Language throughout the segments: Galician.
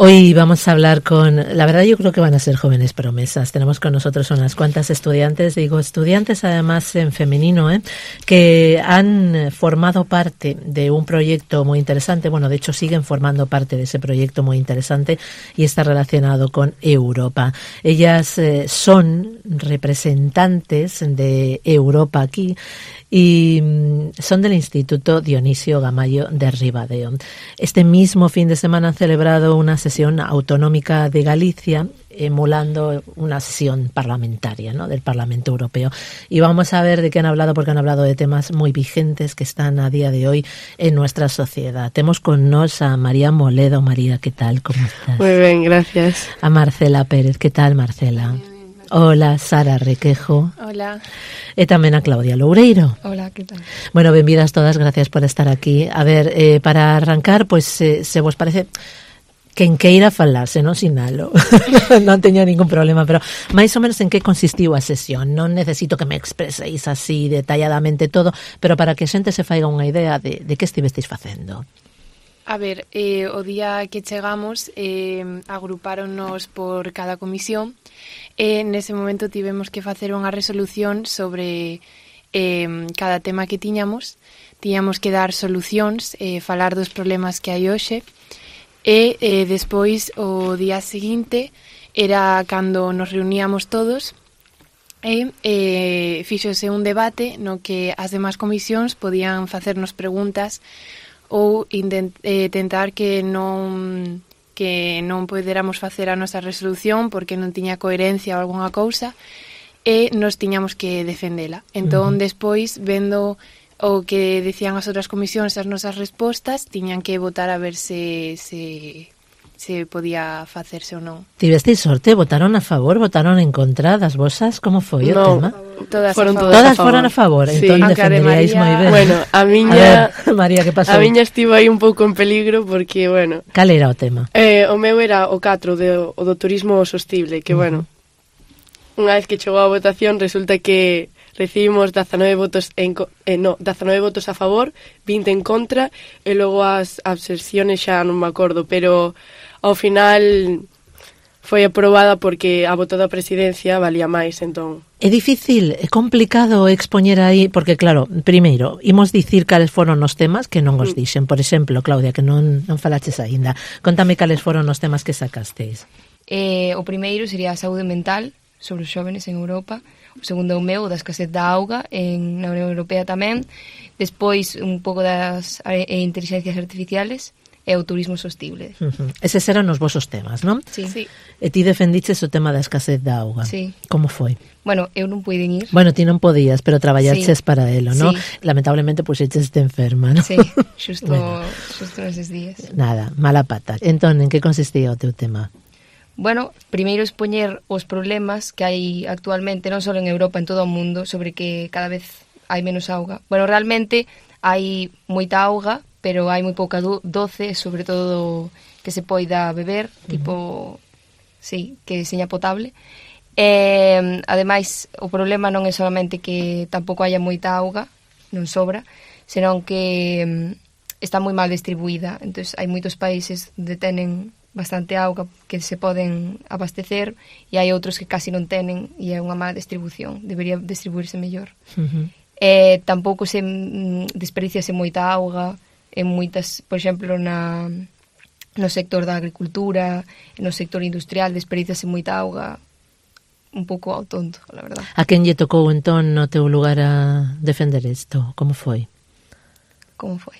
Hoy vamos a hablar con, la verdad yo creo que van a ser jóvenes promesas. Tenemos con nosotros unas cuantas estudiantes, digo estudiantes además en femenino, que han formado parte de un proyecto muy interesante. Bueno, de hecho siguen formando parte de ese proyecto muy interesante y está relacionado con Europa. Ellas son representantes de Europa aquí y son del Instituto Dionisio Gamayo de Ribadeo. Este mismo fin de semana han celebrado una sesión autonómica de Galicia, emulando una sesión parlamentaria, ¿no?, del Parlamento Europeo. Y vamos a ver de qué han hablado, porque han hablado de temas muy vigentes que están a día de hoy en nuestra sociedad. Tenemos con nos a María Moledo. María, ¿qué tal? ¿Cómo estás? Muy bien, gracias. A Marcela Pérez. ¿Qué tal, Marcela? Hola, Sara Requejo. Hola. E tamén a Claudia Loureiro. Hola, que tal? Bueno, benvidas todas, gracias por estar aquí. A ver, para arrancar, pois, se vos parece... quen queira falar, se non sinalo. Non teño ningún problema, pero máis ou menos en que consistiu a sesión. Non necesito que me expreseis así detalladamente todo, pero para que a xente se faiga unha idea de que estivesteis facendo. A ver, o día que chegamos agrupáronnos por cada comisión e nese momento tivemos que facer unha resolución sobre cada tema que tiñamos. Tiñamos que dar solucións, falar dos problemas que hai hoxe e despois o día seguinte era cando nos reuníamos todos e fíxose un debate no que as demás comisións podían facernos preguntas ou tentar que non poderamos facer a nosa resolución porque non tiña coherencia ou algunha cousa e nos tiñamos que defendela. Entón, despois, vendo o que decían as outras comisións as nosas respostas, tiñan que votar a ver se podía facerse ou non. Tivesteis sorte? Votaron a favor? Votaron en contra das vosas? Como foi o tema? Todas foron a favor. Sí. Entón defenderíais moi ben. Bueno, a miña María, que pasou? A miña estivo aí un pouco en peligro porque, bueno... Cal era o tema? O meu era o 4 do turismo sostible, que, bueno, unha vez que chegou a votación resulta que recibimos 19 votos 19 votos a favor, 20 en contra e logo as abstenciones xa non me acordo, pero ao final foi aprobada porque a voto da presidencia valía máis, entón. É difícil, é complicado expoñer aí, porque claro, primeiro, imos dicir cales foron os temas que non os dixen. Por exemplo, Claudia, que non falaches aínda. Contame cales foron os temas que sacasteis. O primeiro sería a saúde mental sobre os xóvenes en Europa. O segundo é o meu, da escasez da auga na Unión Europea tamén. Despois, un pouco das inteligencias artificiales e o turismo sostible. Eses eran os vosos temas, non? Sí. E ti defendiches o tema da escasez da auga. Sí. Como foi? Bueno, eu non puiden ir. Bueno, ti non podías, pero traballaches para elo, non? Sí. Lamentablemente, puxeches enferma, non? Sí, xusto neses días. Nada, mala pata. Entón, en que consistía o teu tema? Bueno, primeiro expoñer os problemas que hai actualmente, non só en Europa, en todo o mundo, sobre que cada vez hai menos auga. Bueno, realmente hai moita auga, pero hai moi pouca doce, sobre todo que se poida beber, tipo, sí, que seña potable. Ademais, o problema non é solamente que tampouco haya moita auga, non sobra, senón que está moi mal distribuída. Entón, hai moitos países onde tenen bastante auga que se poden abastecer e hai outros que casi non tenen e é unha mala distribución, debería distribuirse mellor. Tampouco se desperdiciase moita auga en moitas, por exemplo, no sector da agricultura, no sector industrial desperdiciase moita auga, un pouco ao tonto, la verdad. A quen lle tocou entón no teu lugar a defender isto? Como foi? Como foi?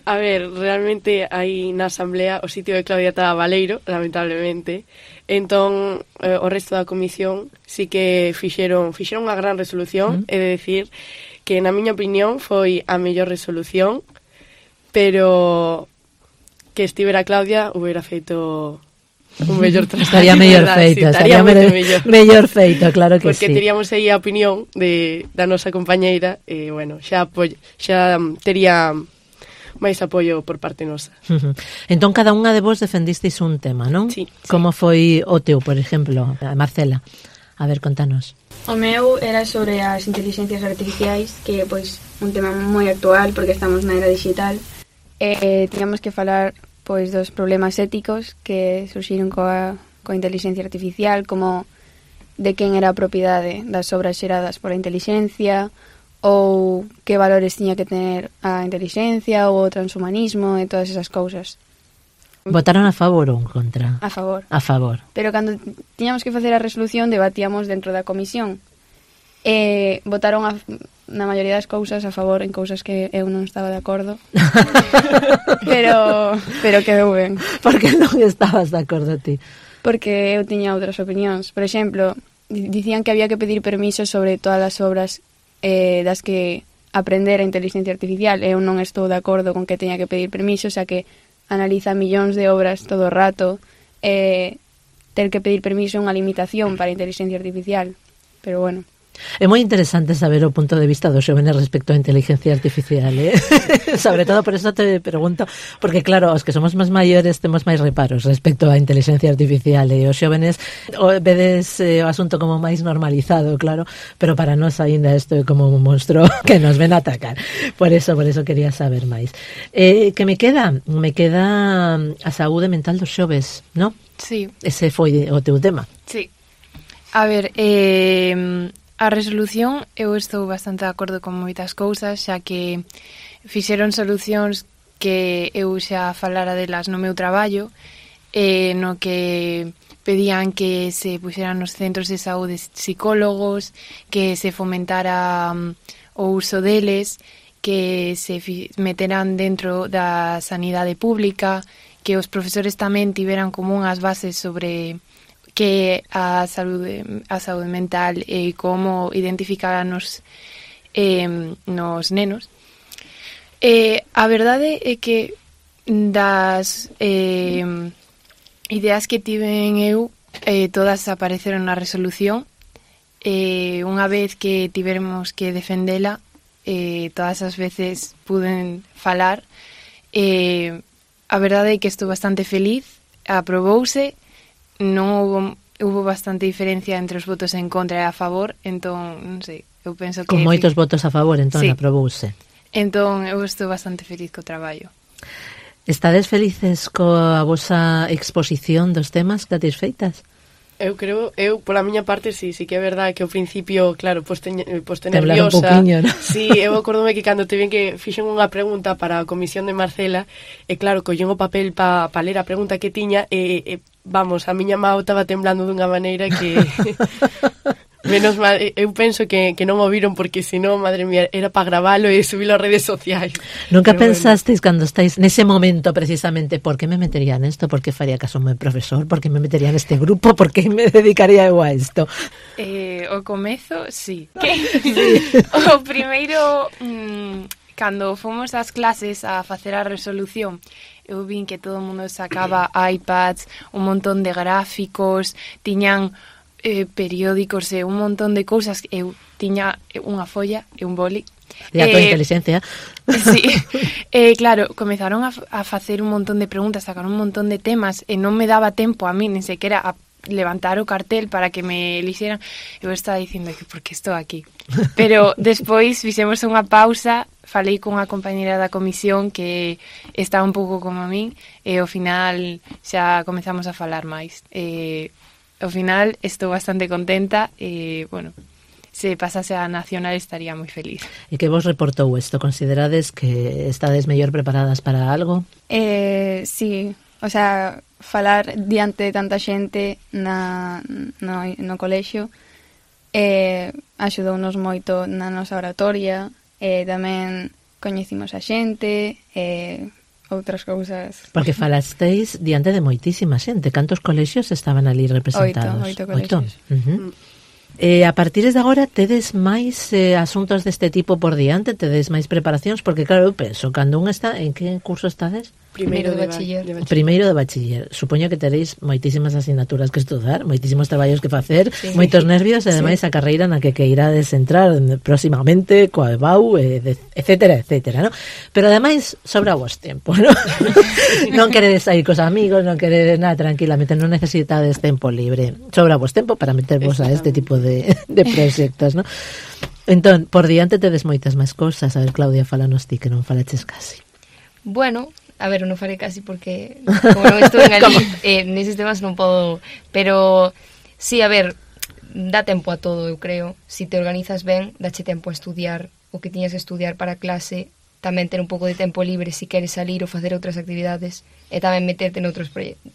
A ver, realmente aí na asamblea o sitio de Claudia estaba baleiro, lamentablemente. Entón, o resto da comisión sí que fixeron unha gran resolución, é de decir que na miña opinión foi a mellor resolución, pero que estivera Claudia hubiera feito un mellor traballo. Estaría mellor feita, estaría mellor feita, claro que porque sí. Porque teríamos aí a opinión da nosa compañeira e, bueno, xa tería máis apoio por parte nosa. Entón, cada unha de vos defendisteis un tema, non? Sí. Como foi o teu, por exemplo, Marcela? A ver, contanos. O meu era sobre as inteligencias artificiais, que é pois un tema moi actual porque estamos na era digital. Tiñamos que falar pois dos problemas éticos que surxiron coa inteligencia artificial, como de quen era a propiedade das obras xeradas pola inteligencia, ou que valores tiña que tener a inteligencia ou o transhumanismo e todas esas cousas. Votaron a favor ou en contra? A favor. A favor. Pero cando tiñamos que facer a resolución debatíamos dentro da comisión. Votaron na maioría das cousas a favor en cousas que eu non estaba de acordo. pero quedou ben. Por que non estabas de acordo ti? Porque eu tiña outras opinións. Por exemplo, dicían que había que pedir permiso sobre todas as obras das que aprender a inteligencia artificial. Eu non estou de acordo con que teña que pedir permiso, xa que analiza millóns de obras todo o rato. Ter que pedir permiso é unha limitación para a inteligencia artificial. Pero bueno. É moi interesante saber o punto de vista dos xóvenes respecto á inteligencia artificial, sobre todo por eso te pregunto, porque claro, os que somos máis maiores temos máis reparos respecto á inteligencia artificial, e os xóvenes vedes o asunto como máis normalizado, claro, pero para nós aínda isto é como un monstruo que nos ven a atacar. Por eso quería saber máis. Que me queda a saúde mental dos xoves, non? Sí. Ese foi o teu tema. Sí. A ver, a resolución, eu estou bastante de acordo con moitas cousas, xa que fixeron solucións que eu xa falara delas no meu traballo, no que pedían que se puxeran nos centros de saúde psicólogos, que se fomentara o uso deles, que se meteran dentro da sanidade pública, que os profesores tamén tiveran como unhas bases sobre que a saúde mental e como identificar nos nenos. A verdade é que das ideas que tiven eu, todas apareceron na resolución. Unha vez que tivermos que defendela, todas as veces puden falar. A verdade é que estou bastante feliz, aprobouse. Non hubo bastante diferencia entre os votos en contra e a favor, entón, non sei, eu penso que... Con moitos votos a favor, entón, sí. Aprobouse. Entón, eu estou bastante feliz co traballo. Estades felices coa vosa exposición dos temas que tedes feitas? Eu creo, pola miña parte, sí que é verdade que ao principio, claro, poste nerviosa. Un poquinho, ¿no? Sí, eu acordome que cando te ven que fixen unha pregunta para a comisión de Marcela, e claro, collín o papel pa ler a pregunta que tiña, e vamos, a miña mão estaba temblando dunha maneira que... Menos mal, eu penso que non o viron porque senón, madre mía, era para gravalo e subilo ás redes sociais. Nunca pensasteis cando estáis nese momento precisamente, por que me metería nesto, por que faría caso ao meu profesor, por que me metería neste grupo, por que me dedicaría eu a isto? O comezo, sí. O primeiro, cando fomos ás clases a facer a resolución, eu vin que todo o mundo sacaba iPads, un montón de gráficos, tiñan periódicos e un montón de cousas. Eu tiña unha folla e un boli. E a tua inteligencia. Sí. Claro, comenzaron a facer un montón de preguntas, sacaron un montón de temas e non me daba tempo a mí, nin sequera a levantar o cartel para que me elixeran. Eu estaba dicindo que por que estou aquí. Pero despois fixemos unha pausa, falei con unha compañera da comisión que estaba un pouco como a min e ao final xa comezamos a falar máis. Ao final estou bastante contenta e, bueno, se pasase a nacional estaría moi feliz. E que vos reportou isto? Considerades que estades mellor preparadas para algo? Sí, o sea, falar diante de tanta xente no colexio axudounos moito na nosa oratoria, tamén coñecimos a xente, outras cousas. Porque falasteis diante de moitísima xente. Cantos colexios estaban ali representados? Oito colexios. A partir de agora tedes máis asuntos deste tipo por diante, tedes máis preparacións, porque claro, eu penso, cando un está, en que curso estades? Primeiro de bachiller. Primeiro de bachiller. Supoño que teréis moitísimas asignaturas que estudar, moitísimos traballos que facer, sí. Moitos nervios, e ademais a carreira na que irades entrar próximamente, coa EBAU, etcétera, ¿no? Pero ademais sobra vos tempo, ¿no? Non queredes sair cos amigos, non queredes nada, tranquilamente, non necesitades tempo libre. Sobra vos tempo para metervos a este tipo de proxectos, ¿no? Entón, por diante tedes moitas máis cousas. A ver, Claudia, falanos ti, que non falaches casi. Bueno, A ver, non farei casi porque como non estou en ali, neses temas non podo, pero sí, a ver, dá tempo a todo, eu creo. Si te organizas ben, dache tempo a estudiar o que tiñas que estudiar para a clase, tamén ter un pouco de tempo libre si queres salir ou facer outras actividades e tamén meterte noutros proxectos.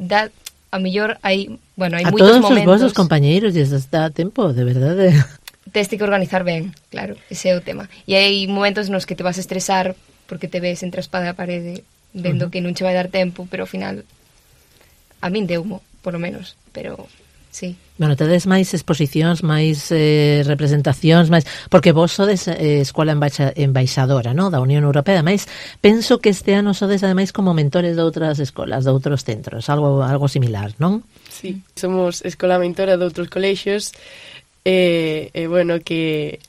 A mellor hai, bueno, hai moitos momentos. A todos os vosos compañeiros lles dá tempo, de verdade. Tes que organizar ben, claro, ese é o tema. E hai momentos nos que te vas a estresar porque te ves entre a espada e a parede vendo que non che vai dar tempo, pero ao final a min deumo, por lo menos, pero sí. Bueno, tedes máis exposicións, máis representacións, máis porque vos sodes escola embaixadora, ¿no?, da Unión Europea, ademais penso que este ano sodes ademais como mentores de outras escolas, de outros centros, algo similar, non? Sí, somos escola mentora de outros colexios bueno, que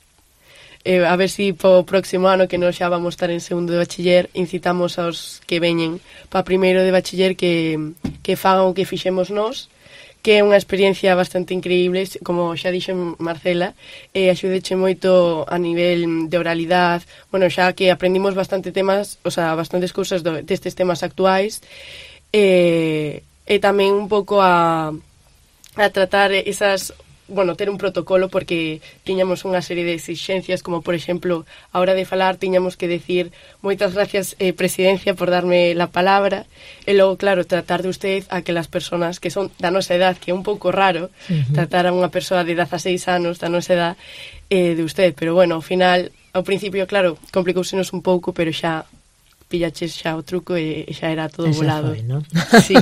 a ver si po próximo ano que nós xa vamos estar en segundo de bachiller incitamos aos que veñen para primeiro de bachiller que fagan o que fixemos nós, que é unha experiencia bastante increíble, como xa dixo Marcela, axudeche moito a nivel de oralidade, bueno, xa que aprendimos bastante temas, o sea, bastantes cousas destes temas actuais, e tamén un pouco a tratar esas, bueno, ter un protocolo, porque tiñamos unha serie de exixencias, como por exemplo, a hora de falar tiñamos que decir moitas gracias, presidencia, por darme la palabra, e logo, claro, tratar de usted a aquelas persoas que son da nosa edad, que é un pouco raro tratar a unha persoa de 16 anos da nosa edad de usted, pero bueno, ao final, ao principio, claro, complicousenos un pouco, pero xa pillaches xa o truco e xa era todo volado. Foi, ¿no? Sí.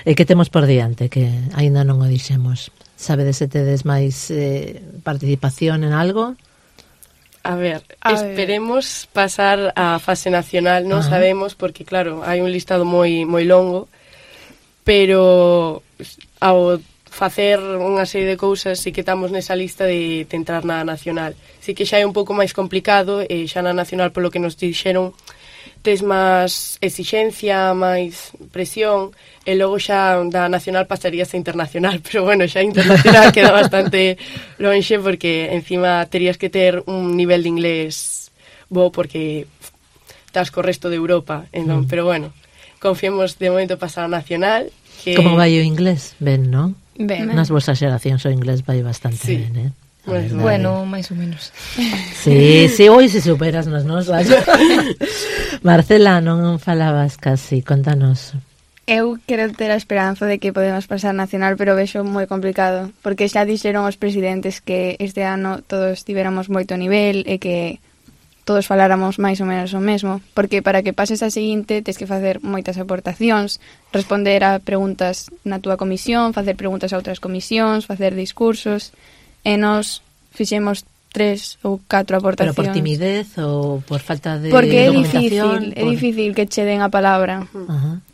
E que temos por diante, que aínda non o dixemos? Sabedes se tedes máis participación en algo? A ver, esperemos pasar a fase nacional, non sabemos, porque claro, hai un listado moi longo, pero ao facer unha serie de cousas sí que estamos nesa lista de entrar na nacional. Sí que xa é un pouco máis complicado, e xa na nacional, polo que nos dixeron, tes máis exixencia, máis presión, e logo xa da nacional pasarías a internacional, pero bueno, xa internacional queda bastante lonxe, porque encima terías que ter un nivel de inglés bo, porque estás co resto de Europa, entón, pero bueno, confiemos de momento pasar a nacional. Que... Como vai o inglés? Ben, non? Ben. Nas vosas xeracións o inglés vai bastante sí. ben, Bueno, máis ou menos. Sí, hoy se superas nas nosas. Marcela, non falabas casi, contanos. Eu quero ter a esperanza de que podemos pasar nacional, pero vexo moi complicado, porque xa dixeron os presidentes que este ano todos tivéramos moito nivel e que todos faláramos máis ou menos o mesmo, porque para que pases a seguinte tens que facer moitas aportacións, responder a preguntas na túa comisión, facer preguntas a outras comisións, facer discursos, e nos fixemos 3 ou 4 aportacións. Pero por timidez ou por falta de porque documentación? Porque é difícil que che den a palabra. Ajá.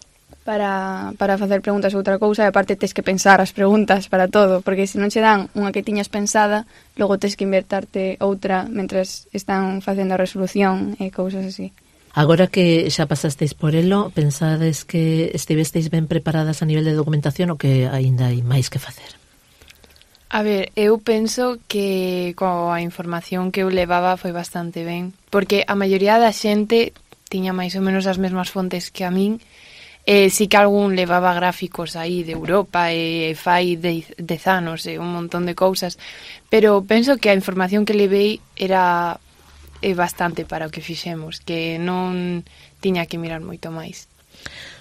Para facer preguntas ou outra cousa, e aparte tes que pensar as preguntas para todo, porque se non che dan unha que tiñas pensada, logo tes que invertarte outra mentras están facendo a resolución e cousas así. Agora que xa pasasteis por elo, pensades que estivesteis ben preparadas a nivel de documentación ou que aínda hai máis que facer? A ver, eu penso que coa información que eu levaba foi bastante ben, porque a maioría da xente tiña máis ou menos as mesmas fontes que a min. Sí que algún levaba gráficos aí de Europa e fai 10 anos e un montón de cousas, pero penso que a información que levei era bastante para o que fixemos, que non tiña que mirar moito máis.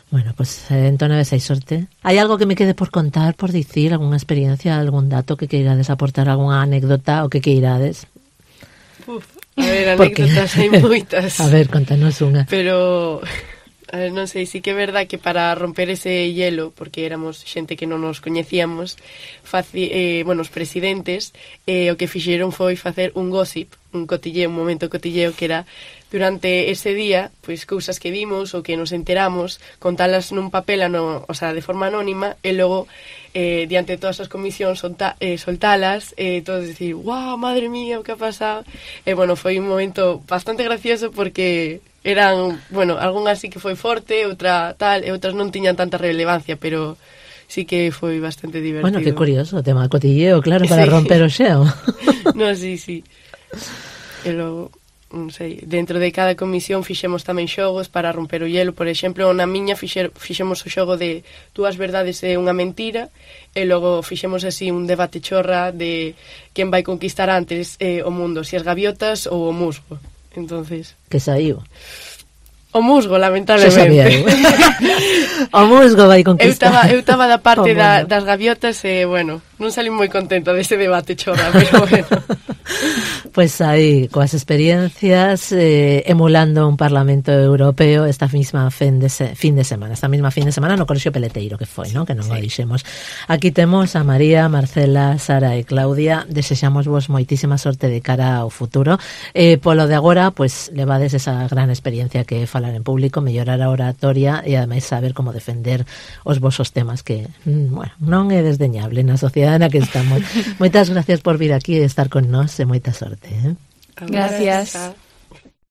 Bueno, pues entón a veces hai sorte. Hai algo que me quede por contar, por dicir, algunha experiencia, algún dato que queirades aportar, algunha anécdota o que queirades? A ver, anécdotas hai moitas. A ver, contanos unha. Pero... A ver, non sei, sí que é verdad que para romper ese hielo, porque éramos xente que non nos coñecíamos, os presidentes o que fixeron foi facer un gossip, un cotilleo, un momento cotilleo, que era durante ese día, pois cousas que vimos ou que nos enteramos, contalas nun papel, o sea, de forma anónima, e logo diante de todas as comisións soltalas, todos decir, wow, madre mía, o que ha pasado. E bueno, foi un momento bastante gracioso porque eran, bueno, algunhas sí que foi forte, outra tal, e outras non tiñan tanta relevancia, pero sí que foi bastante divertido. Bueno, que curioso, o tema de cotilleo, claro, para romper o xeo. No, sí. E logo... non sei, dentro de cada comisión fixemos tamén xogos para romper o hielo. Por exemplo, na miña fixemos o xogo de dúas verdades e unha mentira, e logo fixemos así un debate chorra de quen vai conquistar antes o mundo, se as gaviotas ou o musgo. Entonces, que saiu? O musgo, lamentablemente. O musgo vai conquistar. Eu estaba da parte das gaviotas e, bueno, non salí moi contenta deste debate chorra, pero bueno. Pues aí, coas experiencias, emulando un Parlamento Europeo esta mesma fin de semana no Colexio Peleteiro que foi, non? Que non o dixemos. Aquí temos a María, Marcela, Sara e Claudia. Desexamos vos moitísima sorte de cara ao futuro. Polo de agora, pues levades esa gran experiencia que é falar en público, mellorar a oratoria e ademais saber como defender os vosos temas que, bueno, non é desdeñable na sociedade na que estamos. Moitas gracias por vir aquí e estar con nós e moita sorte. Gracias.